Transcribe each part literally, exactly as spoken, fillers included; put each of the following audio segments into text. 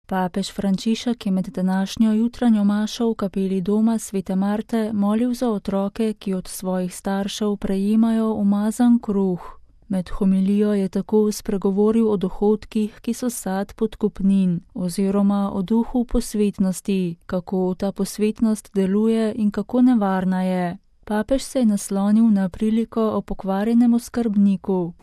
Papež Frančišek je med današnjo jutranjo mašo v kapeli doma Svete Marte molil za otroke, ki od svojih staršev prejemajo umazan kruh. Med homilijo je tako spregovoril o dohodkih, ki so sad podkupnin, oziroma o duhu posvetnosti, kako ta posvetnost deluje in kako nevarna je. Papež se je naslonil na priliko o pokvarjenem oskrbniku.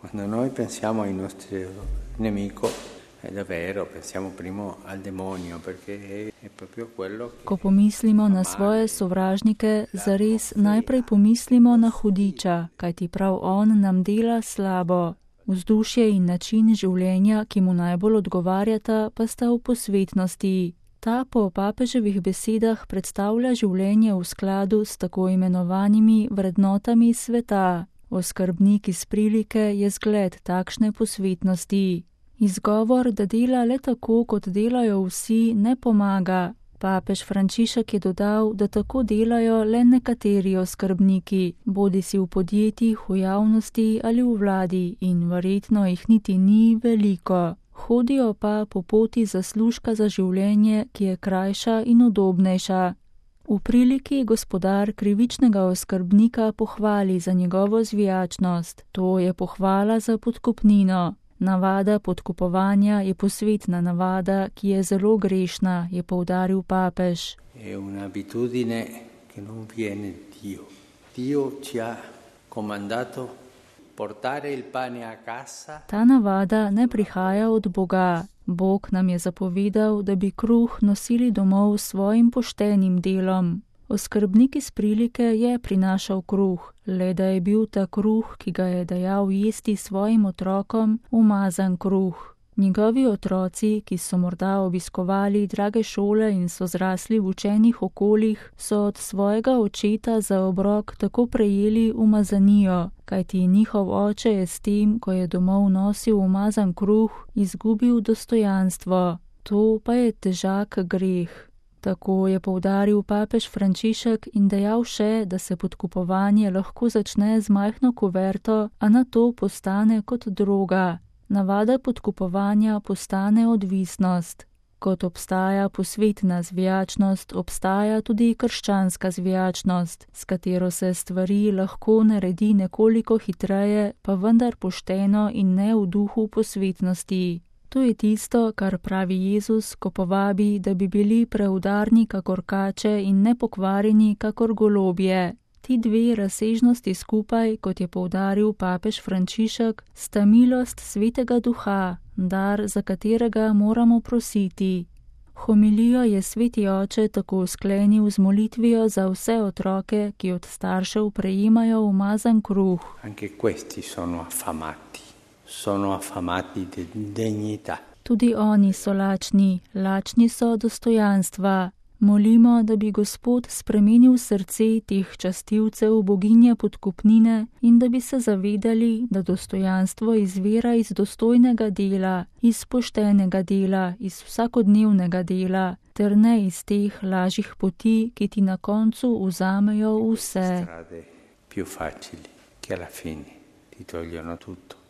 Ko pomislimo na svoje sovražnike, zares najprej pomislimo na hudiča, kajti prav on nam dela slabo. Vzdušje in način življenja, ki mu najbolj odgovarjata, pa sta v posvetnosti. Ta po papeževih besedah predstavlja življenje v skladu s tako imenovanimi vrednotami sveta. Oskrbnik iz prilike je zgled takšne posvetnosti. Izgovor, da dela le tako, kot delajo vsi, ne pomaga. Papež Frančišek je dodal, da tako delajo le nekateri oskrbniki, bodisi v podjetjih, v javnosti ali v vladi, in verjetno jih niti ni veliko. Hodijo pa po poti zaslužka za življenje, ki je krajša in udobnejša. V priliki gospodar krivičnega oskrbnika pohvali za njegovo zvijačnost. To je pohvala za podkupnino. Navada podkupovanja je posvetna navada, ki je zelo grešna, je poudaril papež. Je un'abitudine che non viene Dio. Dio ci ha comandato portare il pane a casa. Ta navada ne prihaja od Boga. Bog nam je zapovedal, da bi kruh nosili domov s svojim poštenim delom. Oskrbnik iz prilike je prinašal kruh, le da je bil ta kruh, ki ga je dajal jesti svojim otrokom, umazan kruh. Njegovi otroci, ki so morda obiskovali drage šole in so zrasli v učenih okoljih, so od svojega očeta za obrok tako prejeli umazanijo, kajti njihov oče je s tem, ko je domov nosil umazan kruh, izgubil dostojanstvo. To pa je težak greh. Tako je poudaril papež Frančišek in dejal še, da se podkupovanje lahko začne z majhno kuverto, a nato postane kot droga. Navada podkupovanja postane odvisnost. Kot obstaja posvetna zvijačnost, obstaja tudi krščanska zvijačnost, s katero se stvari lahko naredi nekoliko hitreje, pa vendar pošteno in ne v duhu posvetnosti. To je tisto, kar pravi Jezus, ko povabi, da bi bili preudarni kakor kače in nepokvarjeni kakor golobje. Ti dve razsežnosti skupaj, kot je poudaril papež Frančišek, sta milost Svetega Duha, dar, za katerega moramo prositi. Homilijo je Sveti Oče tako sklenil z molitvijo za vse otroke, ki od staršev prejemajo umazan kruh. Anche questi sono affamati. Sono affamati di dignità. Tudi oni so lačni, lačni so dostojanstva. Molimo, da bi Gospod spremenil srce teh častilcev boginje podkupnine in da bi se zavedali, da dostojanstvo izvira iz dostojnega dela, iz poštenega dela, iz vsakodnevnega dela, ter ne iz teh lažjih poti, ki ti na koncu vzamejo vse. Strade più facili, che alla fine ti togliono tutto.